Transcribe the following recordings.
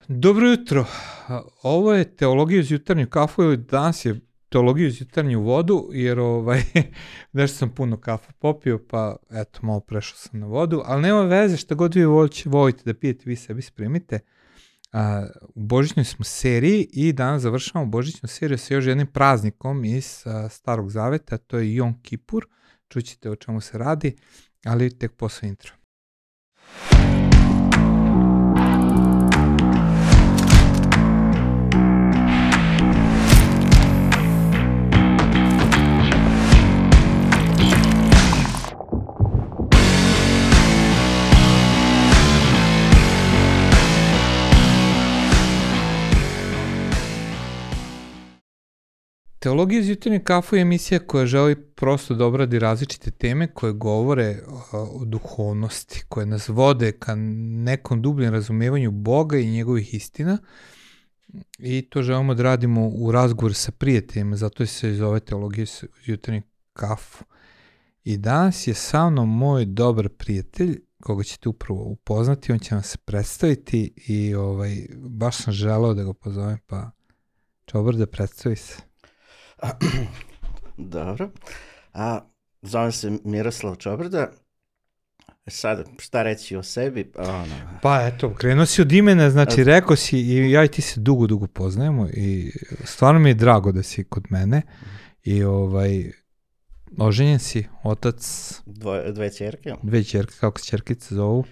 Dobro jutro. Ovo je teologija uz jutarnju kafu ili danas je teologija uz jutarnju vodu, jer nešto sam puno kafu popio, pa eto, malo prešao sam na vodu, ali nema veze, šta god vi volite da pijete, vi sebi spremite. U božićnoj smo seriji i danas završavamo božićnu seriju sa još jednim praznikom iz Starog Zaveta, to je Jom Kipur, čućete o čemu se radi, ali tek posle intro. Teologija iz jutarnje kafu je emisija koja želi prosto da obradi različite teme koje govore o duhovnosti, koje nas vode ka nekom dubljem razumevanju Boga i njegovih istina, i to želimo da radimo u razgovoru sa prijateljima, zato se zove Teologija iz jutarnje kafu. I danas je sa mnom moj dobar prijatelj, koga ćete upravo upoznati, on će vam se predstaviti i baš sam želeo da ga pozovem, pa Čobar, da predstavi se. Dobro. Zovem se Miroslav Čobrda. Sad, šta reći o sebi? Pa eto, krenuo si od imena, znači rekao si i ja i ti se dugo poznajemo i stvarno mi je drago da si kod mene i oženjen si, otac... Dve ćerke. Dve ćerke, kako se ćerkice zovu?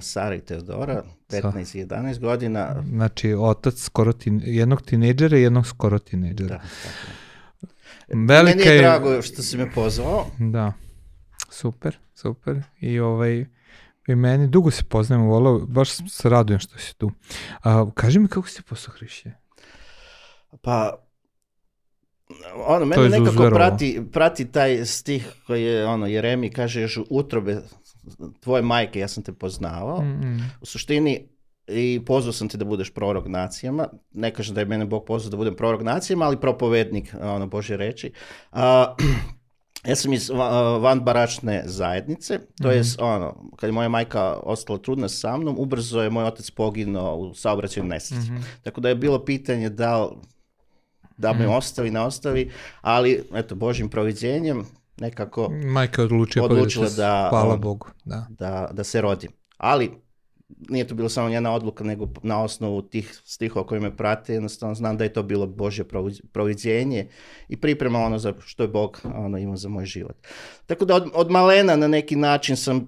Sara i Teodora, 15 i 11 godina. Znači, otac skoro jednog tinejdžera i jednog skoro tinejdžera. Da, tako. Meni je drago što si me pozvao. Da, super. I meni dugo se poznajemo, baš se radujem što si tu. Kaži mi kako si postao hrišćanin? Pa, mene nekako prati taj stih koji je, Jeremij kaže, još u utrobe tvoje majke ja sam te poznavao. U suštini, i pozvao sam te da budeš prorok nacijama. Ne kažem da je mene Bog pozvao da budem prorok nacijama, ali propovednik Božje reči. Ja sam iz vanbračne zajednice, to je kad je moja majka ostala trudna sa mnom, ubrzo je moj otac poginuo u saobraćajnoj nesreći. Tako da je bilo pitanje da me ostavi, ne ostavi, ali eto, Božjim proviđenjem nekako majka je odlučila da, hvala Bogu, da se rodim. Ali nije to bilo samo njena odluka, nego na osnovu tih stihova koji me prate, jednostavno znam da je to bilo Božje proviđenje i priprema za što je Bog imao za moj život. Tako da od malena na neki način sam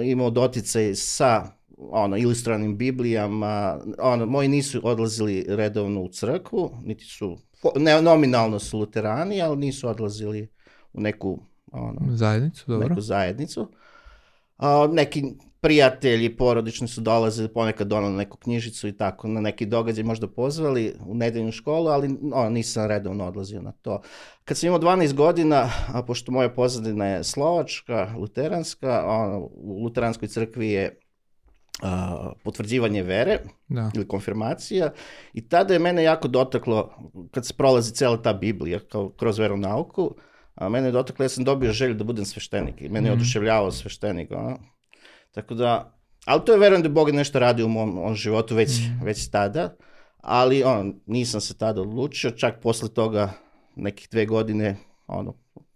imao doticaj sa ilustriranim Biblijama. Moji nisu odlazili redovno u crkvu, niti su, nominalno su luterani, ali nisu odlazili u neku zajednicu. Neki prijatelji porodični su dolazili, ponekad donali neku knjižicu i tako, na neki događaj možda pozvali u nedeljnu školu, ali nisam redovno odlazio na to. Kad sam imao 12 godina, a pošto moja pozadina je slovačka, luteranska, u luteranskoj crkvi je potvrđivanje vere ili konfirmacija, i tada je mene jako dotaklo, kad se prolazi cijela ta Biblija kroz veronauku, mene je dotaklo, ja sam dobio želju da budem sveštenik i mene je oduševljavao sveštenik. Tako da, ali to je, verujem da Bog nešto radi u mom životu već tada, ali nisam se tada odlučio, čak posle toga nekih 2 godine,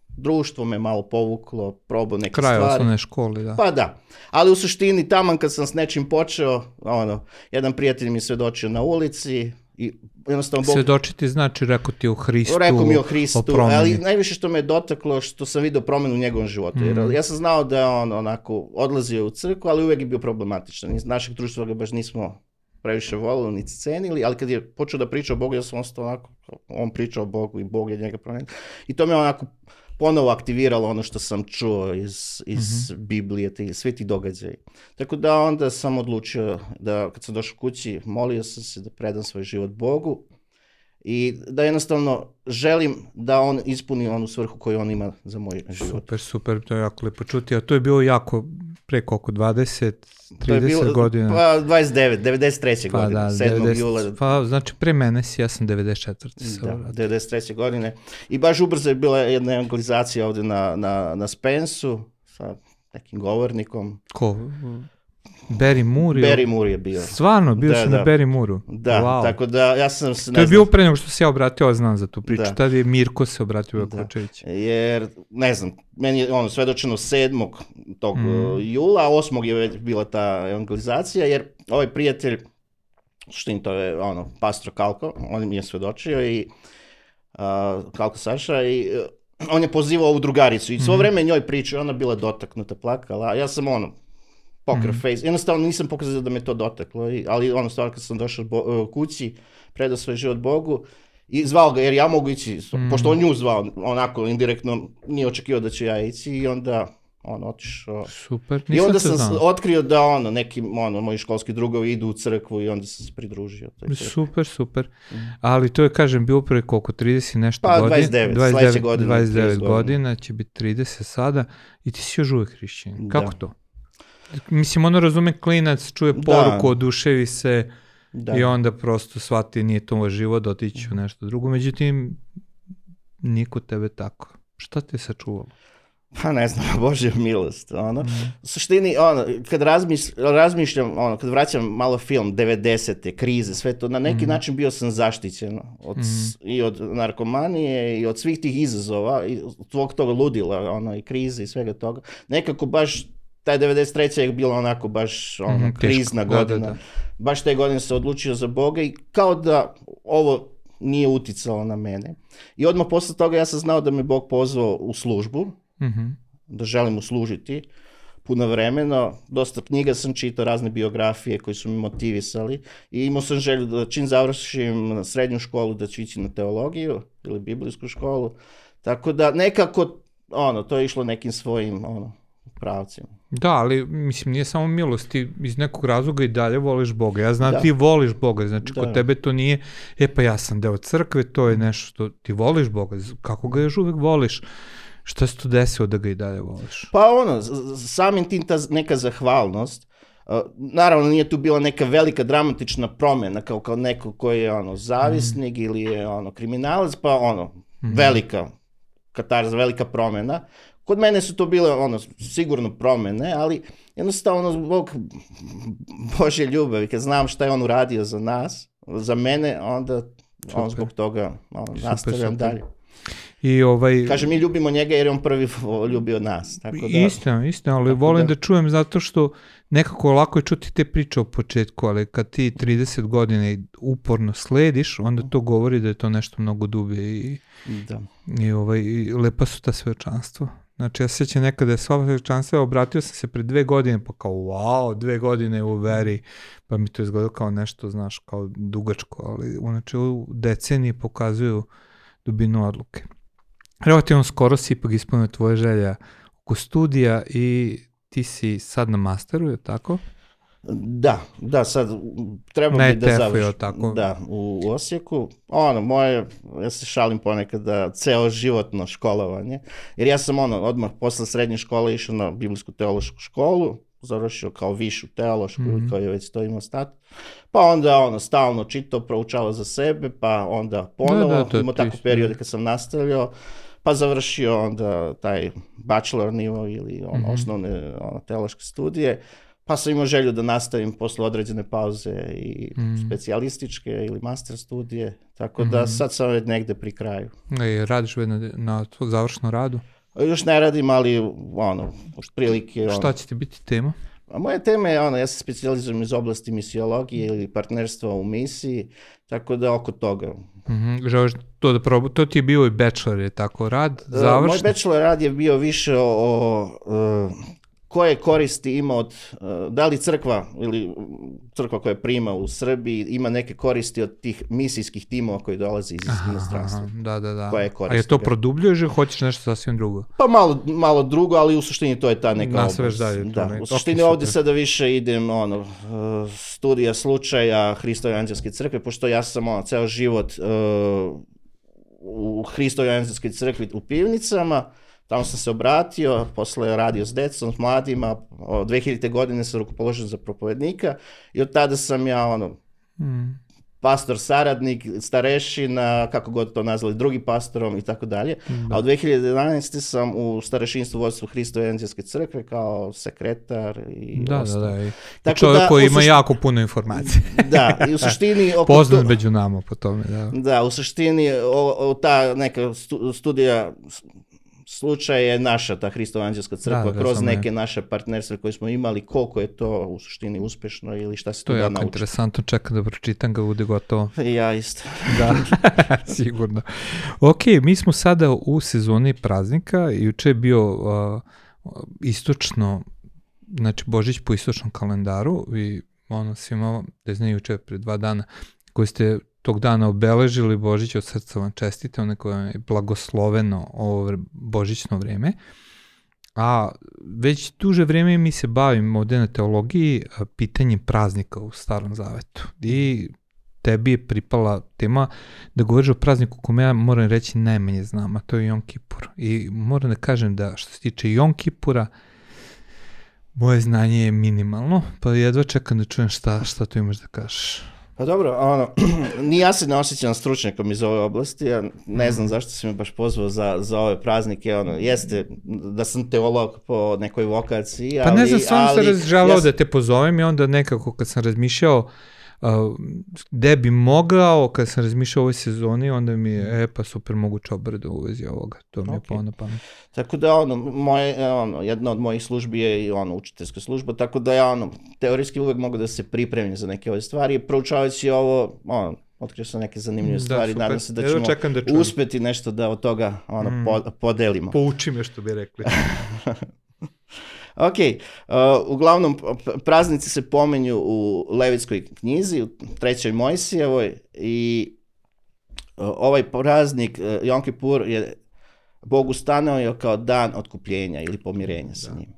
društvo me malo povuklo, probao neke stvari. Kraj osnovne škole, da. Pa da, ali u suštini taman kad sam s nečim počeo, jedan prijatelj mi svedočio na ulici i jednostavno Bog... Svedočiti znači rekao ti o Hristu, rekao mi o Hristu, ali najviše što me je dotaklo što sam vidio promenu u njegovom životu. Jer ja sam znao da je on onako odlazio u crkvu, ali uvijek je bio problematičan. Iz našeg društva ga baš nismo previše volili ni cenili, ali kad je počeo da priča o Bogu, ja sam ostao onako, on pričao o Bogu i Bog je njega promenio. I to me onako ponovo aktiviralo ono što sam čuo iz Biblije, svi ti događaji. Tako da onda sam odlučio da kad sam došao kući, molio sam se da predam svoj život Bogu i da jednostavno želim da on ispuni onu svrhu koju on ima za moj život. Super, to je jako lepo čuti, a to je bilo jako preko oko 20-30 godina. Pa 93. godine, 7. jula. Pa znači pre mene si, ja sam 94. Da, 93. godine. I baš ubrzo je bila jedna evangelizacija ovdje na Spensu sa nekim govornikom. Ko? Barry Moore? Barry Moore je bio. Stvarno, bio si na Barry Moore-u? Da, wow. Tako da ja sam se... To je bio pre nego što se ja obratio, znam za tu priču. Tada je Mirko se obratio Jakovčević. Jer, ne znam, meni je svedočeno 7. tog jula, 8. je već bila ta evangelizacija, jer ovaj prijatelj, to je pastor Kalko, on mi je svedočio i Kalko Saša i on je pozivao ovu drugaricu i svo vreme njoj pričao, ona bila dotaknuta, plakala, ja sam poker face, jednostavno nisam pokazao da me to dotaklo, ali stvarno kad sam došao kući, predao svoj život Bogu i zvao ga jer ja mogu ići, pošto on nju zvao, onako indirektno nije očekivao da ću ja ići i onda otišao. Super, i onda sam otkrio da neki moji školski drugovi idu u crkvu i onda sam se pridružio. Super. Ali to je, kažem, bio prvi koliko, 30 nešto godina? 29, sledeće godine. 29 godina, će biti 30 sada i ti si još uvek hrišćanin. Kako to? Mislim, razume klinac, čuje poruku, oduševi se i onda prosto shvati nije to moj život, otići u nešto drugo. Međutim, niko tebe tako. Šta te je sačuvalo? Pa ne znam, Božja milost. U suštini, kad razmišljam, kad vraćam malo film, 90-te, krize, sve to, na neki način bio sam zaštićen i od narkomanije i od svih tih izazova, i od tog ludila, i krize i svega toga. Nekako baš taj 93. je bilo onako baš krizna godina. Da. Baš te godine se odlučio za Boga i kao da ovo nije uticalo na mene. I odmah posle toga ja sam znao da me Bog pozvao u službu, da želim mu služiti puno vremena. Dosta knjiga sam čitao, razne biografije koji su mi motivisali i imao sam želju da čim završim srednju školu da ću ići na teologiju ili biblijsku školu. Tako da nekako to je išlo nekim svojim pravcima. Da, ali mislim nije samo milost, ti iz nekog razloga i dalje voliš Boga. Ja znam ti voliš Boga, znači kod tebe to nije, pa ja sam deo crkve, to je nešto što ti voliš Boga, kako ga još uvek voliš? Šta se to desilo da ga i dalje voliš? Pa samim tim ta neka zahvalnost, naravno nije tu bila neka velika dramatična promjena kao neko koji je zavisnik ili je kriminalac, pa velika katarza, velika promjena. Kod mene su to bile sigurno promjene, ali jednostavno zbog Božje ljubavi, kad znam šta je on uradio za nas, za mene, onda zbog toga nastavljam dalje. Kaže, mi ljubimo njega jer je on prvi ljubio nas. Istina, ali volim da čujem zato što nekako lako je čuti te priče o početku, ali kad ti 30 godina uporno slediš, onda to govori da je to nešto mnogo dublje i lepa su ta svedočanstva. Znači, ja se sjećam nekada je sva svedočanstva, obratio sam se pre 2 godine, pa kao, wow, 2 godine u veri, pa mi to izgledalo kao nešto, znaš, kao dugačko, ali u načelu decenije pokazuju dubinu odluke. Relativno skoro si ipak ispunio tvoje želja oko studija i ti si sad na masteru, je tako? Da, sad treba bi da završim. Da, u Osijeku. Ja se šalim ponekad da ceo životno školovanje, jer ja sam odmah posle srednje škole išao na biblijsku teološku školu, završio kao višu teološku, koji je već to imao status, pa onda stalno čitao, proučavao za sebe, pa onda ponovo, imao tako periode kad sam nastavljao, pa završio onda taj bachelor nivo ili osnovne teološke studije, pa sam imao želju da nastavim posle određene pauze i specijalističke ili master studije, tako da sad sam već negde pri kraju. Radiš na završnom radu? Još ne radim, ali prilike... Šta će ti biti tema? Moja tema je, ja se specijalizujem iz oblasti misiologije ili partnerstva u misiji, tako da oko toga. Želiš to da probu, to ti je bio i bachelor, je tako, rad, završno? Moj bachelor rad je bio više o koje koristi ima od, da li crkva ili crkva koja prima u Srbiji ima neke koristi od tih misijskih timova koji dolaze iz inostranstva. Da. Koje koristi. A je to produbljuješ ili hoćeš nešto sasvim drugo? Pa malo drugo, ali u suštini to je ta neka oblast. Da, u suštini ovdje sada više idem studija slučaja Hristove anđelske crkve, pošto ja sam ceo život u Hristove anđelske crkvi u Pivnicama. Tamo sam se obratio, posle radio s decom, s mladima, 2000. godine sam rukopoložen za propovednika i od tada sam ja pastor saradnik, starešina, kako god to nazvali, drugi pastorom i tako dalje. A od 2011. sam u starešinstvu vodstvu Hristove evanđelske crkve kao sekretar i ostalo. Da. Čovjek koji ima jako puno informacije. Da, i u suštini... Poznat među nama po tome, da. Da, u suštini ta neka studija slučaj je naša, ta Hristova evanđelska crkva, kroz neke naše partnerstva koje smo imali, koliko je to u suštini uspešno ili šta se tu da naučiti. To je jako interesantno, čekam da pročitam ga, bude gotovo. Ja isto. Da, sigurno. Ok, mi smo sada u sezoni praznika, juče je bio istočno, znači Božić po istočnom kalendaru i svima, da znaju juče pre 2 dana, koji ste tog dana obeležili Božić, od srca vam čestite, ono koje je blagosloveno ovo božićno vreme. A već duže vreme mi se bavimo ovde na teologiji pitanjem praznika u Starom Zavetu. I tebi je pripala tema da govoriš o prazniku kome ja moram reći najmanje znam, a to je Jom Kipur. I moram da kažem da što se tiče Jom Kipura, moje znanje je minimalno, pa jedva čekam da čujem šta tu imaš da kažeš. Pa dobro, ni ja se ne osjećam stručnjakom iz ove oblasti, ja ne znam zašto si me baš pozvao za ove praznike, jeste da sam teolog po nekoj vokaciji, ali... Pa ne znam, stvarno sam želeo da te pozovem i onda nekako kad sam razmišljao gde bi mogao, kad sam razmišljao o ovoj sezoni, onda mi je, pa super, moguće obrade u vezi ovoga, to mi je palo na pamet. Tako da, jedna od mojih službi je i učiteljska služba, tako da ja, teorijski uvek mogu da se pripremim za neke ove stvari, proučavajući ovo, otkrio sam neke zanimljive stvari, nadam se da ćemo uspeti nešto da od toga podelimo. Pouči me, što bi rekli. Ok, uglavnom praznici se pominju u Levitskoj knjizi, u 3. Mojsijevoj i ovaj praznik Jom Kipur je Bog ustanovio kao dan otkupljenja ili pomirenja sa njim.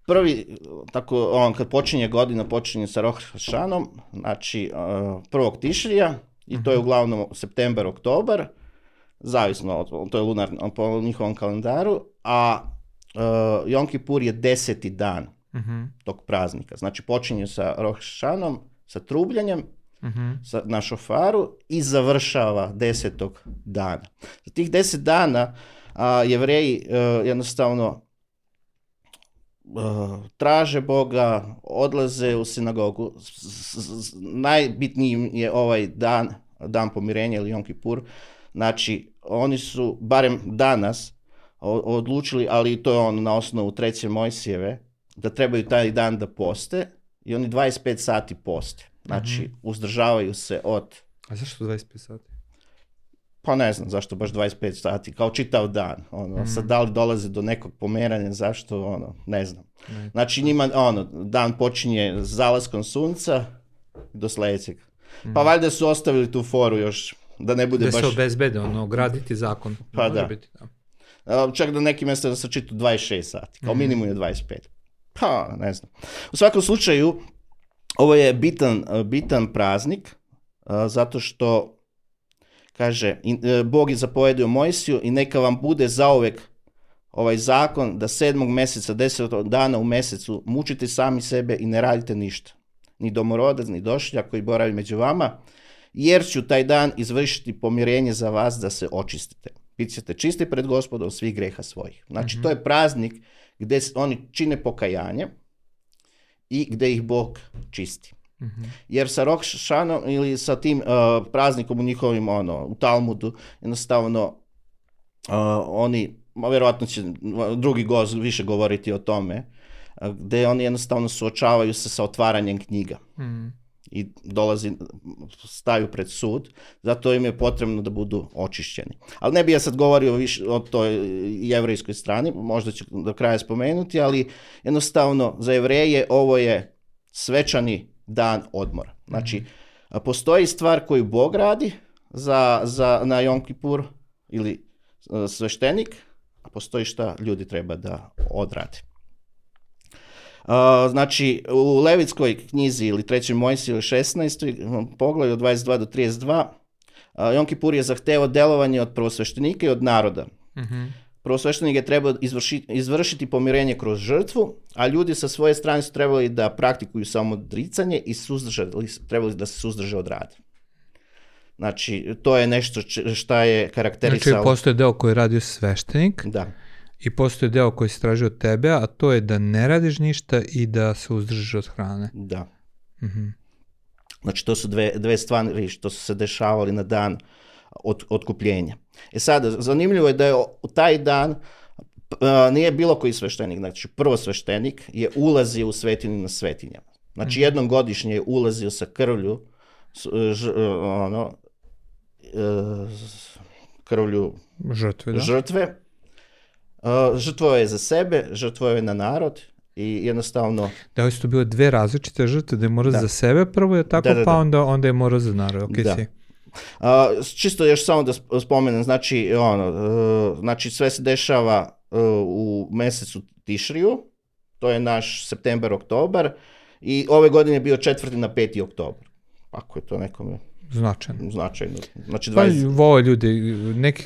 Prvi, tako, kad počinje godina, počinje sa Roš Hašanom, znači 1. Tišrija i to je uglavnom septembar, oktobar, zavisno, to je lunarno po njihovom kalendaru, a Jom Kipur je 10. dan tog praznika. Znači počinje sa Roš Hašanom, sa trubljanjem na šofaru i završava 10. dana. Za tih 10 dana Jevreji jednostavno traže Boga, odlaze u sinagogu. Najbitniji je ovaj dan pomirenja ili Jom Kipur. Znači oni su, barem danas, odlučili, ali to je na osnovu 3. Mojsijeve, da trebaju taj dan da poste i oni 25 sati poste. Znači, uzdržavaju se od... A zašto 25 sati? Pa ne znam zašto baš 25 sati, kao čitav dan. Sad da li dolaze do nekog pomeranja, zašto, ne znam. Znači njima, dan počinje zalaskom sunca do sledećeg. Pa valjda su ostavili tu foru još, da ne bude baš... Da se obezbede, graditi zakon. Pa da. Čak da neki mjesta da se čitu 26 sati, kao minimum je 25. Pa, ne znam. U svakom slučaju, ovo je bitan praznik, zato što, kaže, Bog je zapovedio Mojsiju i neka vam bude zauvek ovaj zakon da 7. meseca, 10. dana u mesecu mučite sami sebe i ne radite ništa. Ni domorodac, ni došljak koji boravi među vama, jer ću taj dan izvršiti pomirenje za vas da se očistite. Bit ćete čisti pred Gospodom svih greha svojih. Znači, to je praznik gde oni čine pokajanje i gde ih Bog čisti. Jer sa Roš Hašanom ili sa tim praznikom u njihovim, u Talmudu, jednostavno oni, vjerovatno će drugi gost više govoriti o tome, gde oni jednostavno suočavaju se sa otvaranjem knjiga. I staju pred sud, zato im je potrebno da budu očišćeni. Ali ne bih ja sad govorio više o toj jevrejskoj strani, možda ću do kraja spomenuti, ali jednostavno za Jevreje ovo je svečani dan odmora. Znači, postoji stvar koju Bog radi na Jom Kipur ili sveštenik, a postoji šta ljudi treba da odrade. Znači, u Levitskoj knjizi ili 3. Mojsijevoj 16. poglavlju od 22 do 32, Jom Kipur je zahtevao delovanje od prvosveštenika i od naroda. prvosveštenik je trebao izvršiti pomirenje kroz žrtvu, a ljudi sa svoje strane su trebali da praktikuju samo odricanje i trebali da se suzdrže od rada. Znači, to je nešto šta je karakterisalo... Znači, postoje deo koji je radio sveštenik i postoje deo koji se traži od tebe, a to je da ne radiš ništa i da se uzdržiš od hrane. Da. Znači, to su dve stvari što su se dešavali na dan otkupljenja. Sad, zanimljivo je da je u taj dan nije bilo koji sveštenik, znači prvosveštenik je ulazio u svetinju na svetinjama. Znači, jednom godišnje je ulazio sa krvlju, krvlju žrtve. Žrtvovao je za sebe, žrtvovao je na narod i jednostavno... Da, ovo su to bile dve različite žrtve, da je morao za sebe prvo, je tako, pa onda je morao za narod. Čisto još samo da spomenem, znači sve se dešava u mesecu Tišriju, to je naš septembar, oktobar, i ove godine je bio 4. na 5. oktobar. Ako je to nekome... Značajno. Znači, vole ljudi, neki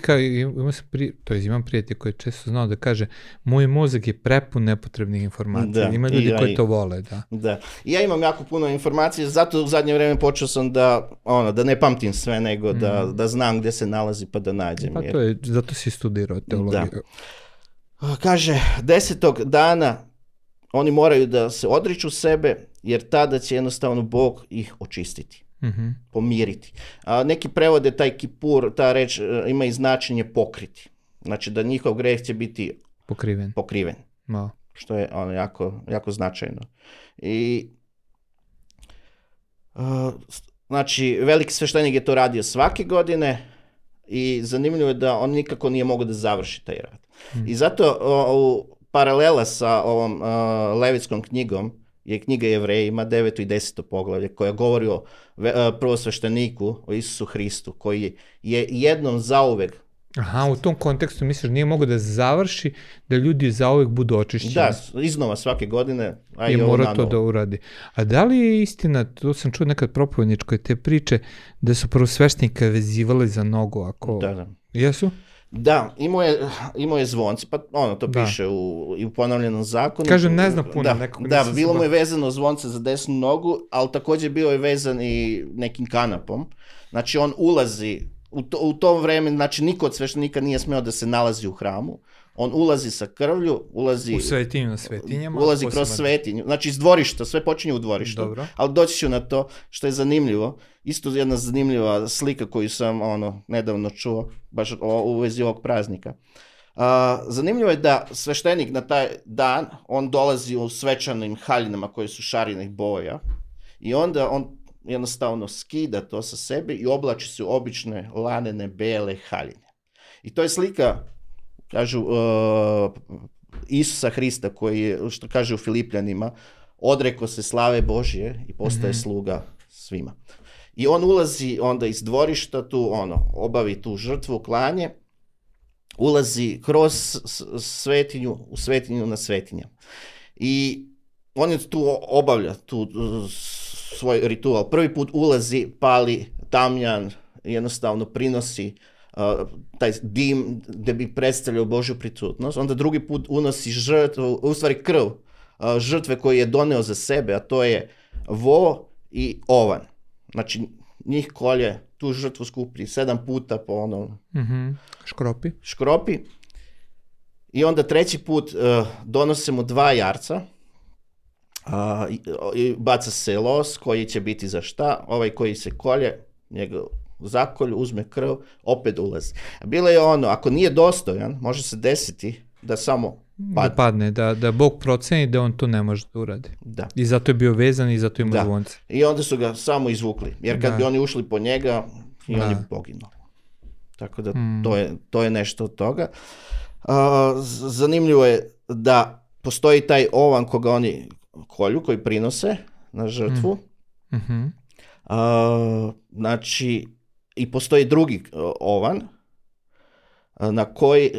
imam prijatelj koji često znao da kaže, moj mozak je prepun nepotrebnih informacija. Ima ljudi koji to vole, da. Ja imam jako puno informacija, zato u zadnje vreme počeo sam da ne pamtim sve, nego da znam gde se nalazi pa da nađem. Pa to je, zato si studirao teologiju. Kaže, 10. dana oni moraju da se odriču sebe, jer tada će jednostavno Bog ih očistiti. Pomiriti. Neki prevode taj kipur, ta reč ima i značenje pokriti. Znači da njihov greh će biti pokriven. Što je jako značajno. I znači veliki sveštenik je to radio svake godine i zanimljivo je da on nikako nije mogao da završi taj rad. I zato paralela sa ovom Levitskom knjigom je knjiga Jevrejima, 9. i 10. poglavlje, koja govori o prvosvešteniku, o Isusu Hristu, koji je jednom zauvek... Aha, u tom kontekstu misliš nije mogao da završi, da ljudi zauvek budu očišćeni. Da, iznova svake godine, a i mora to da uradi. A da li je istina, to sam čuo nekad propovedničkoj te priče, da su prvosveštenika vezivali za nogu, ako... Da. Jesu? Da, imao je zvonce, pa to piše u ponovljenom zakonu. Kažem, ne znam puno nekog. Da, bilo mu je vezano zvonce za desnu nogu, ali također bio je vezan i nekim kanapom. Znači, on ulazi, u to vreme, znači, niko od sveštenika nije smeo da se nalazi u hramu. On ulazi sa krvlju, ulazi... U svetinju na svetinjama. Ulazi kroz svetinju. Znači, iz dvorišta, sve počinje u dvorištu. Dobro. Ali doći ću na to što je zanimljivo. Isto jedna zanimljiva slika koju sam nedavno čuo, baš u vezi ovog praznika. Zanimljivo je da sveštenik na taj dan, on dolazi u svečanim haljinama koje su šarenih boja i onda on jednostavno skida to sa sebe i oblači se u obične lanene bele haljine. I to je slika, kažu, Isusa Hrista koji je, što kaže u Filipljanima, odrekao se slave Božje i postaje sluga svima. I on ulazi onda iz dvorišta, tu obavi tu žrtvu, klanje, ulazi kroz svetinju, u svetinju na svetinja. I on je tu obavlja tu svoj ritual. Prvi put ulazi, pali tamjan, jednostavno prinosi taj dim gde bi predstavljao Božju prisutnost. Onda drugi put unosi žrtvu, u stvari krv žrtve koju je doneo za sebe, a to je vo i ovan. Znači, njih kolje, tu žrtvu skupi 7 puta po škropi. I onda treći put donose mu 2 jarca i baca se los koji će biti za šta. Ovaj koji se kolje, njega zakolju, uzme krv, opet ulazi. Bilo je ako nije dostojan, može se desiti da samo padne. Da Bog proceni da on to ne može da uradi. Da. I zato je bio vezan i zato ima zvonce. I onda su ga samo izvukli, jer kad bi oni ušli po njega, i on je poginuo. Tako da to je nešto od toga. Zanimljivo je da postoji taj ovan koga oni kolju, koji prinose na žrtvu. Znači, i postoji drugi ovan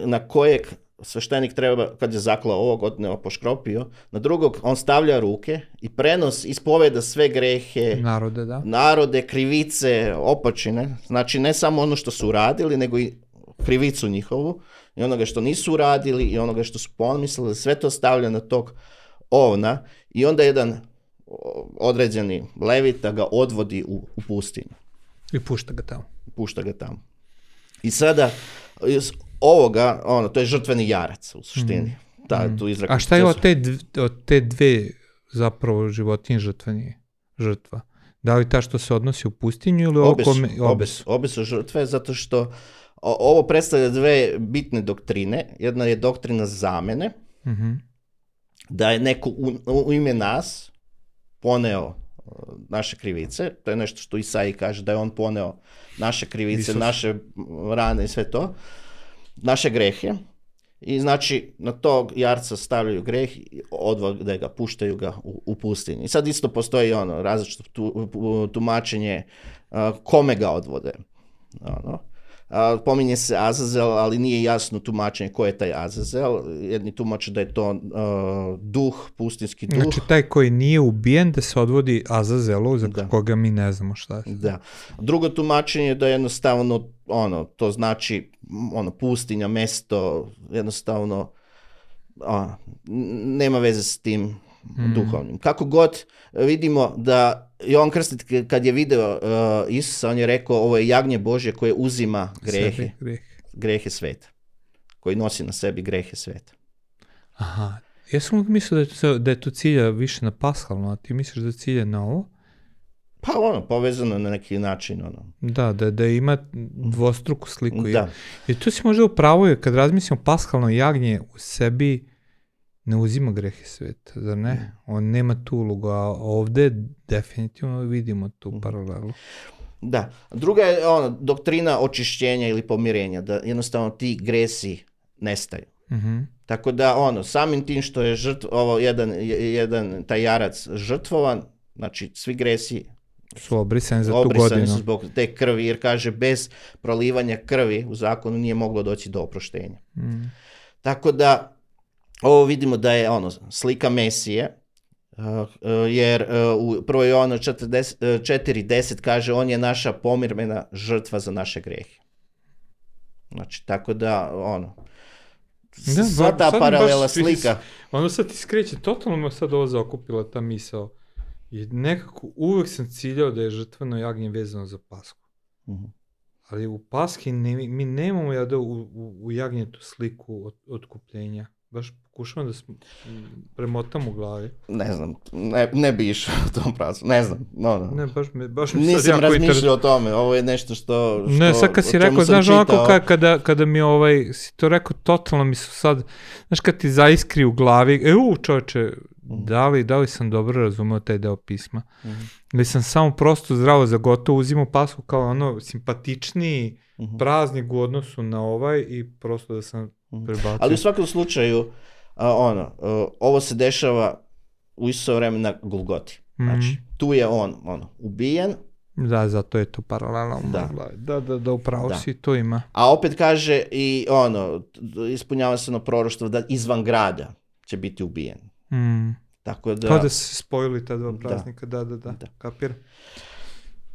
na kojeg sveštenik treba, kad je zaklao ovog, odneo, poškropio, na drugog on stavlja ruke i ispoveda sve grehe, narode, krivice, opačine, znači ne samo ono što su uradili, nego i krivicu njihovu i onoga što nisu uradili i onoga što su pomislili, sve to stavlja na tog ovna i onda jedan određeni levita ga odvodi u pustinju. I pušta ga tamo. I sada iz ovoga, to je žrtveni jarac u suštini. Tu A šta je od te dve zapravo životinje žrtva? Da li ta što se odnosi u pustinju ili obe su žrtve, zato što ovo predstavlja dve bitne doktrine. Jedna je doktrina zamene, da je neko u ime nas poneo naše krivice. To je nešto što Isaiji kaže, da je on poneo naše krivice, naše rane i sve to, naše grehe. I znači na tog jarca stavljaju greh i odvode ga, puštaju ga u pustinji. I sad isto postoji različito tumačenje kome ga odvode. Pominje se Azazel, ali nije jasno tumačenje ko je taj Azazel. Jedni tumače da je to duh, pustinski duh. Znači taj koji nije ubijen da se odvodi Azazelu, za koga mi ne znamo šta je. Da. Drugo tumačenje je da jednostavno to znači pustinja, mesto, jednostavno nema veze s tim duhovnim. Kako god vidimo da Jovan Krstitelj kad je video Isusa, on je rekao ovo je jagnje Božje koje uzima grehe sveta. Koji nosi na sebi grehe sveta. Aha. Ja sam mislio da je to cilja više na pashalno, a ti misliš da cilja na ovo? Pa povezano na neki način. Da ima dvostruku sliku. Da. I tu si možda upravo, kad razmislimo pashalno jagnje u sebi ne uzima grehe sveta, zar ne? On nema tu ulogu, a ovde definitivno vidimo tu paralelu. Da. Druga je doktrina očišćenja ili pomirenja, da jednostavno ti gresi nestaju. Tako da samim tim što je jedan taj jarac žrtvovan, znači svi gresi su obrisani za tu godinu. Obrisani su zbog te krvi, jer kaže bez prolivanja krvi u zakonu nije moglo doći do oproštenja. Tako da ovo vidimo da je slika Mesije, jer u 1. Jovanu 4.10 kaže on je naša pomirmena žrtva za naše grehe. Znači, tako da sva ta paralela slika. Ono sad ti skreće, totalno me sad ovo zaokupila ta misao. I nekako uvek sam ciljao da je žrtveno jagnje vezano za Pasku. Ali u Paski mi nemamo u jagnjetu sliku otkupljenja. Baš pokušavam da premotam u glavi. Ne znam, ne bi išao u tom pravcu, ne znam. Ne, baš mi nisam razmišljao o tome, ovo je nešto što ne, sad kad si rekao, znaš onako kada mi si to rekao, totalno mi su sad, znaš kad ti zaiskri u glavi, čoveče, da li sam dobro razumeo taj deo pisma? Ili sam samo prosto zdravo za gotovo uzimao Pasku kao simpatičniji praznik u odnosu na i prosto da sam prebacio. Ali u svakom slučaju, ovo se dešava u isto vreme na Golgoti. Znači, tu je on ubijen. Da, zato je to paralelno. Da, upravo si, to ima. A opet kaže i ispunjava se proroštvo da izvan grada će biti ubijen. Tako da... Kao da se spojili ta dva praznika, da, kapir.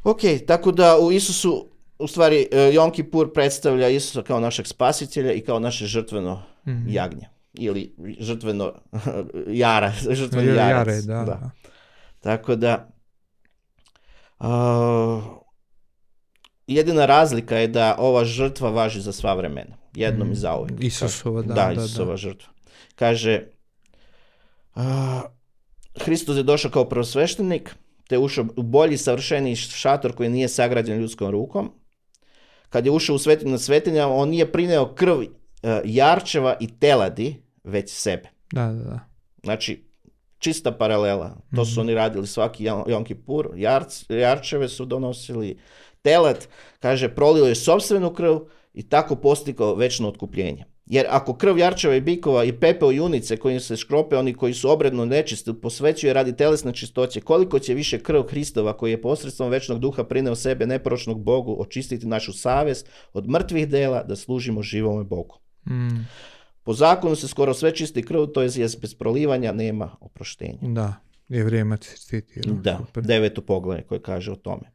Ok, tako da u Isusu, u stvari, Jom Kipur predstavlja Isusa kao našeg spasitelja i kao naše žrtveno jagnje. Ili žrtveno žrtveni jarac. Da. Tako da, jedina razlika je da ova žrtva važi za sva vremena. Jednom i zauvek. Isusova, da. Isusova žrtva. Kaže, Hristos je došao kao prvosveštenik, te je ušao u bolji, savršeniji šator koji nije sagrađen ljudskom rukom. Kad je ušao u svetinu nad svetinjama, on nije prineo krv jarčeva i teladi, već sebe. Da. Znači, čista paralela. To su oni radili svaki Jom Kipur. Jarčeve su donosili. Telad, kaže, prolio je sopstvenu krv i tako postigao večno otkupljenje. Jer ako krv jarčeva i bikova i pepeo junice kojim se škrope oni koji su obredno nečisti posvećuje radi telesne čistoće, koliko će više krv Hristova koji je posredstvom večnog duha prineo sebe neporočnog Bogu očistiti našu savjest od mrtvih dela da služimo živome Bogu. Po zakonu se skoro sve čisti krv, to je bez prolivanja nema oproštenja. Da, Jevrejima citira. Da, 9. poglavlje koje kaže o tome.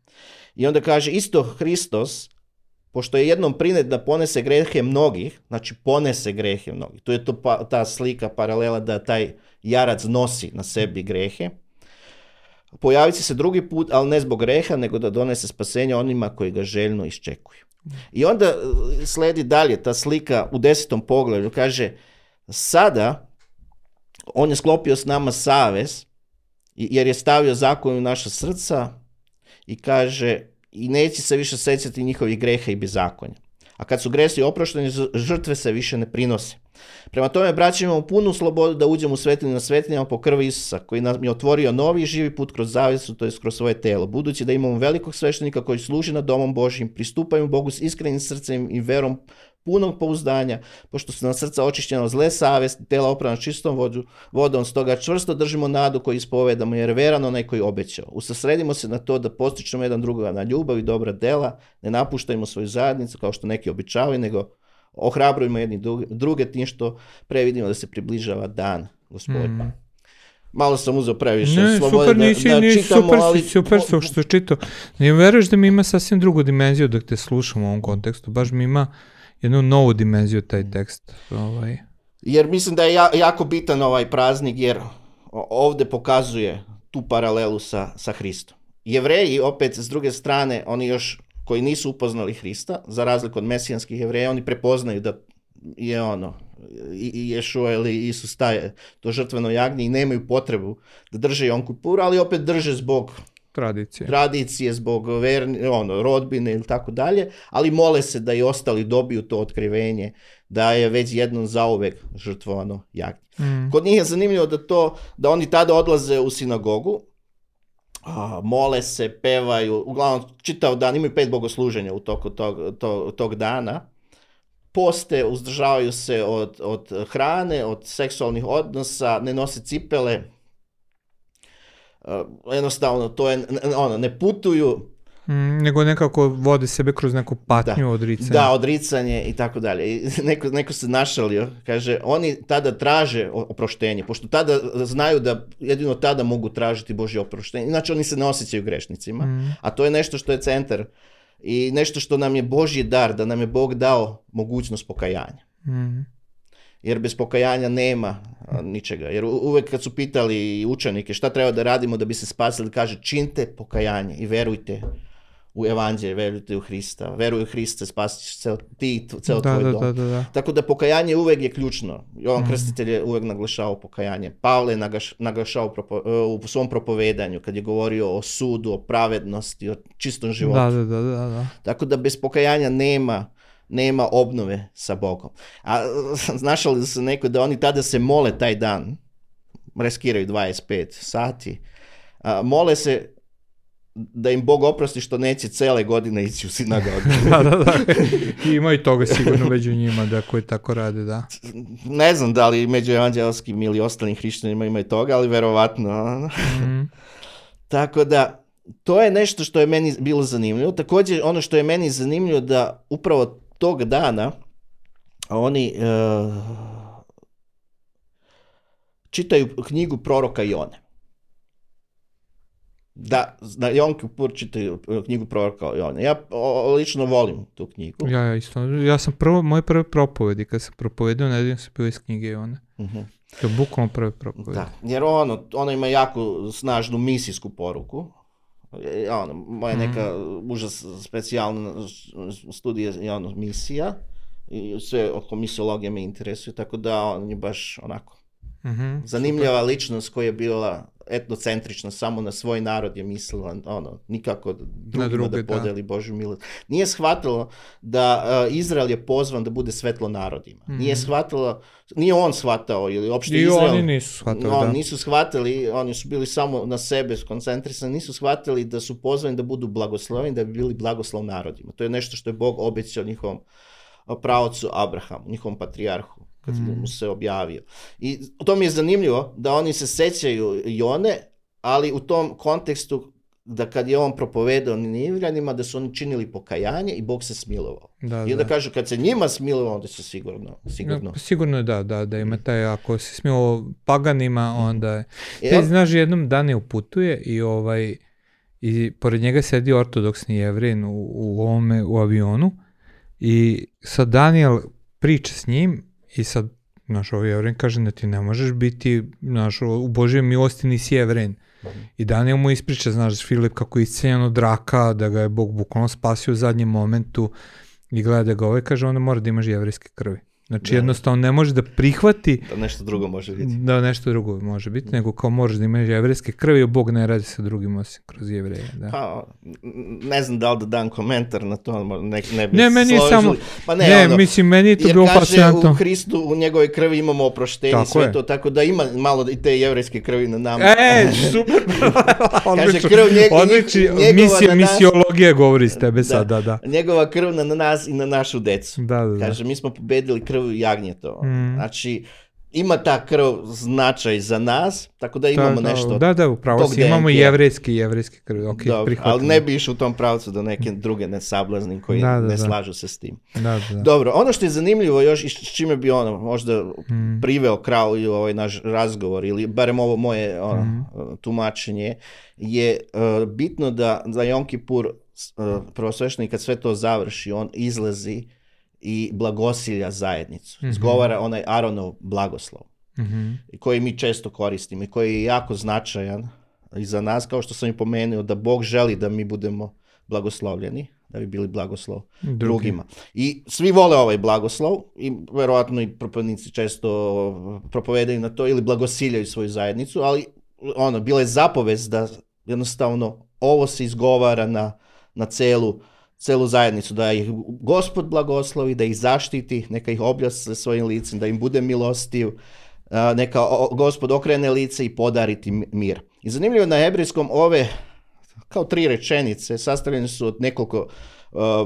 I onda kaže isto Hristos pošto je jednom prinijet da ponese grehe mnogih, znači ponese grehe mnogih, to je ta slika paralela da taj jarac nosi na sebi grehe, pojavit će se drugi put, ali ne zbog greha, nego da donese spasenje onima koji ga željno iščekuju. I onda sledi dalje ta slika u 10. poglavlju, kaže, sada on je sklopio s nama savez, jer je stavio zakon u naša srca i kaže, i neće se više sećati njihovih greha i bezakonja. A kad su gresi oprošteni, žrtve se više ne prinose. Prema tome, braći, imamo punu slobodu da uđemo u svetinju na svetinjama po krvi Isusa, koji nam je otvorio novi i živi put kroz zavjesu, to je kroz svoje telo. Budući da imamo velikog sveštenika koji služi nad domom Božjim, pristupaju Bogu s iskrenim srcem i verom punog pouzdanja, pošto su nam srca očišćena od zle savesti, tela oprana čistom vodom, stoga čvrsto držimo nadu koju ispovedamo, jer veran onaj koji obećao. Usredsredimo se na to da postičemo jedan drugoga na ljubav i dobra dela, ne napuštajmo svoju zajednicu kao što neki običavaju, nego ohrabrujemo jedni druge tim što previdimo da se približava dan Gospodnji. Malo sam uzeo previše slobode da čitamo, ali... Super što čitao. Ne veruješ da mi ima sasvim drugu dimenziju dok te slušam u ovom kontekstu, baš mi ima jednu novu dimenziju taj tekst. Jer mislim da je jako bitan ovaj praznik, jer ovdje pokazuje tu paralelu sa Hristom. Jevreji, opet, s druge strane, oni još koji nisu upoznali Hrista, za razliku od mesijanskih Jevreja, oni prepoznaju da je i Ješua ili Isus staje to žrtveno jagnje i nemaju potrebu da drže Jom Kipur, ali opet drže zbog tradicije, zbog rodbine ili tako dalje, ali mole se da i ostali dobiju to otkrivenje, da je već jednom zauvek žrtvovano jagnje. Kod njih je zanimljivo da oni tada odlaze u sinagogu, mole se, pevaju, uglavnom čitav dan, imaju 5 bogosluženja u toku tog dana, poste, uzdržavaju se od hrane, od seksualnih odnosa, ne nose cipele, jednostavno to je, ne putuju. Nego nekako vode sebe kroz neku patnju, odricanje. Da, odricanje i tako dalje. I neko se našalio, kaže, oni tada traže oproštenje, pošto tada znaju da jedino tada mogu tražiti Božje oproštenje, inače oni se ne osjećaju grešnicima, a to je nešto što je centar i nešto što nam je Božji dar, da nam je Bog dao mogućnost pokajanja. Jer bez pokajanja nema ničega. Jer uvek kad su pitali učenike šta treba da radimo da bi se spasili, kaže, činite pokajanje i verujte u evanđelje, verujte u Hrista. Veruj u Hrista, spasit ćeš ceo tvoj dom. Da. Tako da pokajanje uvek je ključno. Jovan Krstitelj je uvek naglašavao pokajanje. Pavle je naglašavao u svom propovedanju kad je govorio o sudu, o pravednosti, o čistom životu. Da. Tako da bez pokajanja nema obnove sa Bogom. A znaš li se neko da oni tada se mole taj dan, reskiraju 25 sati, mole se da im Bog oprosti što neće cele godine ići u sinagogu. Da. Ima i toga sigurno među njima da koji tako rade, da. Ne znam da li među evanđelskim ili ostalim hrišćanima ima i toga, ali verovatno. Tako da, to je nešto što je meni bilo zanimljivo. Također, ono što je meni zanimljivo da upravo tog dana oni čitaju knjigu proroka Jone. Da, na Jom Kipur čitaju knjigu proroka Jone. Ja lično volim tu knjigu. Ja isto. Ja sam moje prve propovedi, kad sam propovedao, nedeljom sam bio iz knjige Jone. To je bukvalno prve propovedi. Da, jer ono ima jako snažnu misijsku poruku. Moja neka užas specijalna studija je misija i sve oko misiologije me interesuje, tako da on je baš onako zanimljiva ličnost koja je bila etnocentrična, samo na svoj narod je mislila, nikako drugima da podeli Božju milost. Nije shvatilo da Izrael je pozvan da bude svetlo narodima. Nije on shvatao, ili uopšte Izrael. Oni nisu shvatili, nisu shvatili, oni su bili samo na sebe skoncentrisani, nisu shvatili da su pozvani da budu blagosloveni, da bi bili blagoslov narodima. To je nešto što je Bog obećao njihovom praocu Abrahamu, njihovom patrijarhu, kad mu se objavio. I to mi je zanimljivo da oni se sećaju Jone, ali u tom kontekstu da kad je on propovedao Ninivljanima, da su oni činili pokajanje i Bog se smilovao. I onda kažu, kad se njima smilovao, onda se sigurno. Sigurno da ima taj, ako se smilovao paganima, onda je. Ti znaš, jednom Dane uputuje i pored njega sedi ortodoksni Jevrin u avionu I sad Daniel priča s njim i sad, znaš, ovaj Jevren kaže da ti ne možeš biti, znaš, u Božjoj milosti nisi Jevren. I Daniel mu ispriča, znaš, Filip kako je isceljen od raka, da ga je Bog bukvalno spasio u zadnjem momentu i gleda da ga ovaj kaže, onda mora da imaš jevrejske krvi. Znači jednostavno ne može da prihvati da nešto drugo može biti. Da nešto drugo može biti, nego kao možeš da imaš jevrejske krvi, a Bog ne radi sa drugim osim kroz Jevreje. Da. Pa, ne znam da li da dam komentar na to, ne bi ne, meni složili. Samo, pa mislim, meni je to bilo fascinantno. Jer kaže u Hristu, u njegove krvi imamo oproštenje i sve to, tako da ima malo i te jevrejske krvi na nama. Super! Kaže, krv njegova misiologija govori s tebe sad, da. Njegova krv na nas i na našu decu. Da. Kaže, mi smo pobedili krv jagnjetova. Znači, ima ta krv značaj za nas, tako da imamo nešto. Da, upravo si, imamo jevrejske krvi. Okay, ali ne bi išao u tom pravcu da neke druge ne sablaznim koji ne slažu se s tim. Da. Dobro, ono što je zanimljivo još i s čime bi možda priveo kraju ovaj naš razgovor ili barem ovo moje tumačenje je bitno da za Jom Kipur prvosveštenik kad sve to završi, on izlazi i blagosilja zajednicu. Izgovara onaj Aronov blagoslov koji mi često koristimo i koji je jako značajan i za nas, kao što sam i pomenuo, da Bog želi da mi budemo blagoslovljeni, da bi bili blagoslov drugima. I svi vole ovaj blagoslov i verovatno i propovjednici često propovedaju na to ili blagosiljaju svoju zajednicu, ali bila je zapovest da jednostavno ovo se izgovara na celu zajednicu, da ih Gospod blagoslovi, da ih zaštiti, neka ih objasne svojim licem, da im bude milostiv, neka Gospod okrene lice i podariti mir. I zanimljivo na hebrejskom ove kao 3 rečenice sastavljene su od nekoliko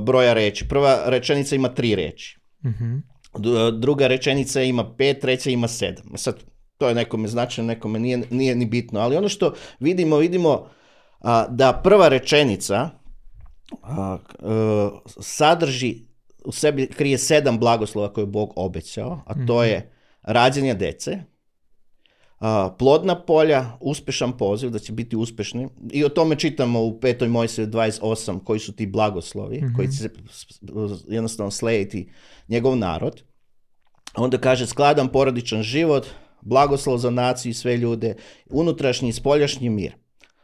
broja reči. Prva rečenica ima 3 reči. Druga rečenica ima 5, treća ima 7. Sad, to je nekome značajno, nekome nije ni bitno. Ali ono što vidimo da prva rečenica sadrži u sebi, krije 7 blagoslova koje je Bog obećao, a to je rađanje dece, plodna polja, uspešan poziv, da će biti uspešni. I o tome čitamo u 5. Mojsiju 28, koji su ti blagoslovi, koji će jednostavno slediti njegov narod. Onda kaže skladan porodičan život, blagoslov za naciju i sve ljude, unutrašnji i spoljašnji mir.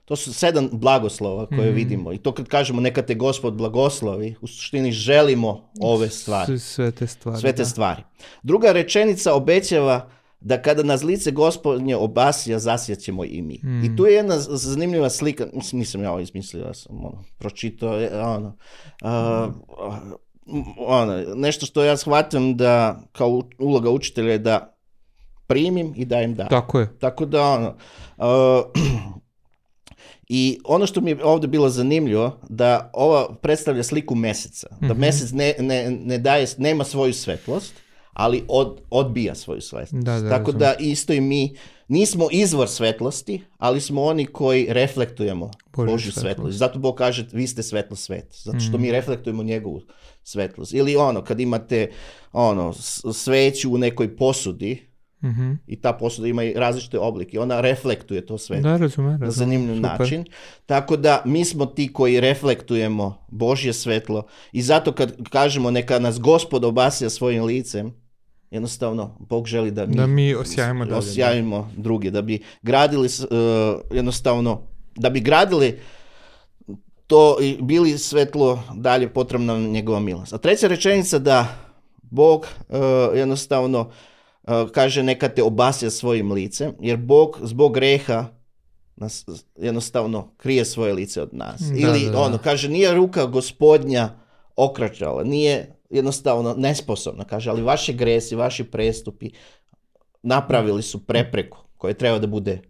To su 7 blagoslova koje vidimo. I to kad kažemo neka te Gospod blagoslovi, u suštini želimo ove stvari. Sve te stvari. Druga rečenica obećava da kada nas lice Gospodnje obasja, zasjaćemo i mi. I tu je jedna zanimljiva slika, nisam ja ovo izmislio, ja sam pročitao, nešto što ja shvatam da kao uloga učitelja je da primim i dajem da. Tako je. Tako da i ono što mi je ovdje bilo zanimljivo, da ova predstavlja sliku meseca. Da mesec ne daje, nema svoju svetlost, ali odbija svoju svetlost. Tako da isto i mi nismo izvor svetlosti, ali smo oni koji reflektujemo Božju svetlost. Zato Bog kaže, vi ste svetlo sveta. Zato što mi reflektujemo njegovu svetlost. Ili kad imate sveću u nekoj posudi, i ta posuda ima i različite oblike. Ona reflektuje to sve na zanimljiv način. Tako da mi smo ti koji reflektujemo Božje svetlo i zato kad kažemo neka nas Gospod obasja svojim licem, jednostavno Bog želi da mi osjajimo druge, da bi gradili da bi gradili to i bili svetlo dalje, potrebna nam njegova milost. A treća rečenica da Bog jednostavno kaže neka te obasja svojim licem, jer Bog zbog greha nas jednostavno krije svoje lice od nas. Kaže, nije ruka Gospodnja okračala, nije jednostavno nesposobna, kaže, ali vaši gresi, vaši prestupi napravili su prepreku koja treba da bude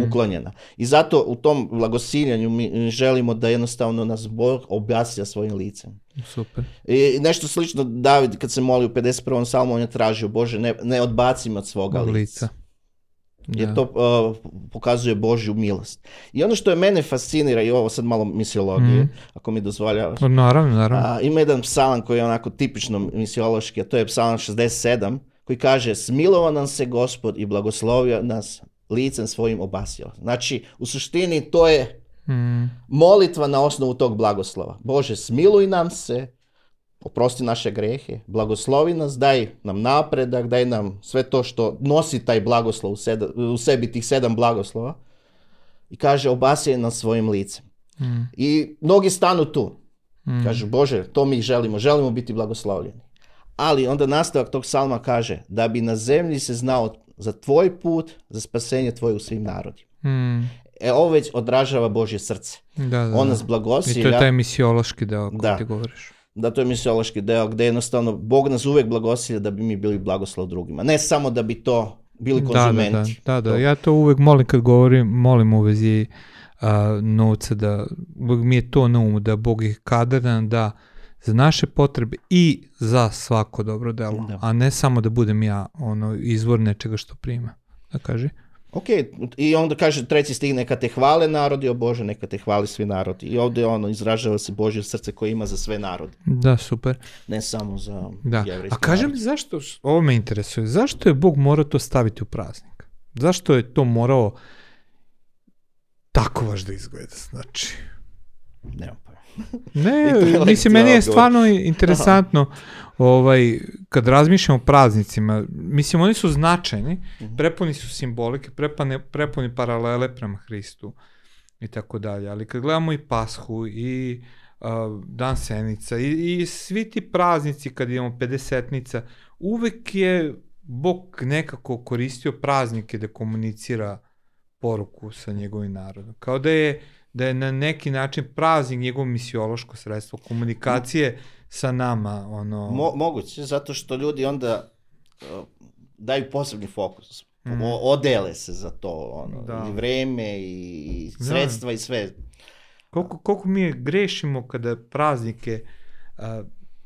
uklonjena. I zato u tom blagosiljanju mi želimo da jednostavno nas Bog objasnja svojim licem. Super. I nešto slično David kad se moli u 51. psalmu, on je tražio, Bože, ne odbaci me od svoga lica. Jer to pokazuje Božju milost. I ono što je mene fascinira, i ovo sad malo misiologije, ako mi dozvoljavaš. Naravno. Ima jedan psalam koji je onako tipično misiološki, a to je psalam 67, koji kaže, smilovao nam se Gospod i blagoslovio nas licem svojim obasjao. Znači, u suštini to je molitva na osnovu tog blagoslova. Bože, smiluj nam se, oprosti naše grehe, blagoslovi nas, daj nam napredak, daj nam sve to što nosi taj blagoslov u sebi, tih 7 blagoslova. I kaže, obasjaj nas svojim licem. I mnogi stanu tu. Kažu, Bože, to mi želimo biti blagoslovljeni. Ali onda nastavak tog psalma kaže, da bi na zemlji se znao za tvoj put, za spasenje tvoje u svim narodima. Ovo već odražava Božje srce. On nas blagosilja. I to je taj misiološki deo koji ti govoriš. Da, to je misiološki deo gde jednostavno Bog nas uvek blagosilja da bi mi bili blagoslov drugima. Ne samo da bi to bili konzumenti. Da. Ja to uvek molim kad molim u vezi novca, da uvek mi je to na umu, da Bog ih kadran da za naše potrebe i za svako dobro delo, a ne samo da budem ja izvor nečega što prima. Da kaži. Ok, i onda kaže 3. stih, neka te hvale narodi, o Bože, neka te hvali svi narodi. I ovdje izražava se Božje srce koje ima za sve narode. Da, super. Ne samo za jevrejski. A kaži mi zašto, ovo me interesuje, zašto je Bog morao to staviti u praznik? Zašto je to morao tako baš da izgleda, znači? Nemam pa. Ne, mislim, meni je stvarno interesantno kad razmišljamo o praznicima, mislim, oni su značajni, prepuni su simbolike, prepuni paralele prema Hristu i tako dalje, ali kad gledamo i Pashu i Dan Senica i svi ti praznici, kad imamo Pedesetnica, uvek je Bog nekako koristio praznike da komunicira poruku sa njegovim narodom. Kao da je na neki način praznik njegovo misiološko sredstvo komunikacije sa nama. Moguće, zato što ljudi onda daju posebni fokus. Odele se za to. I vreme, i sredstva, i sve. Koliko mi grešimo kada praznike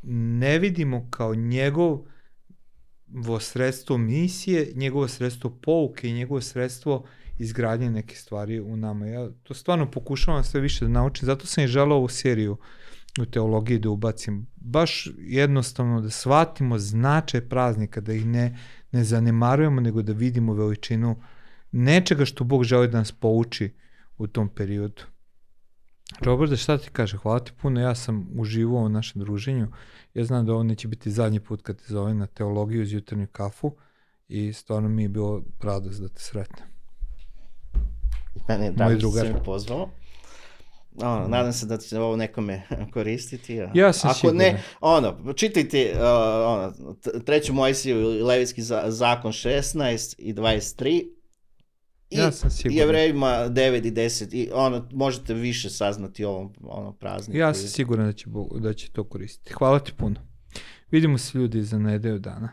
ne vidimo kao njegovo sredstvo misije, njegovo sredstvo pouke i njegovo sredstvo izgradnje neke stvari u nama. Ja to stvarno pokušavam sve više da naučim, zato sam i želeo ovu seriju u teologiji da ubacim. Baš jednostavno da shvatimo značaj praznika, da ih ne zanemarujemo, nego da vidimo veličinu nečega što Bog želi da nas pouči u tom periodu. Robert, šta ti kaže? Hvala ti puno, ja sam uživao u našem druženju. Ja znam da ovo neće biti zadnji put kad te zovem na teologiju uz jutarnju kafu i stvarno mi je bilo radost da te sretnem. Mene je drago što se mi pozvao. Nadam se da će ovo nekome koristiti. Ja sam siguran. Ako ne, čitajte 3. Mojsiju i Levitski zakon 16 i 23 i Jevrejima 9 i 10 i možete više saznati o ovom prazniku. Ja sam siguran da će to koristiti. Hvala ti puno. Vidimo se ljudi za nedelju dana.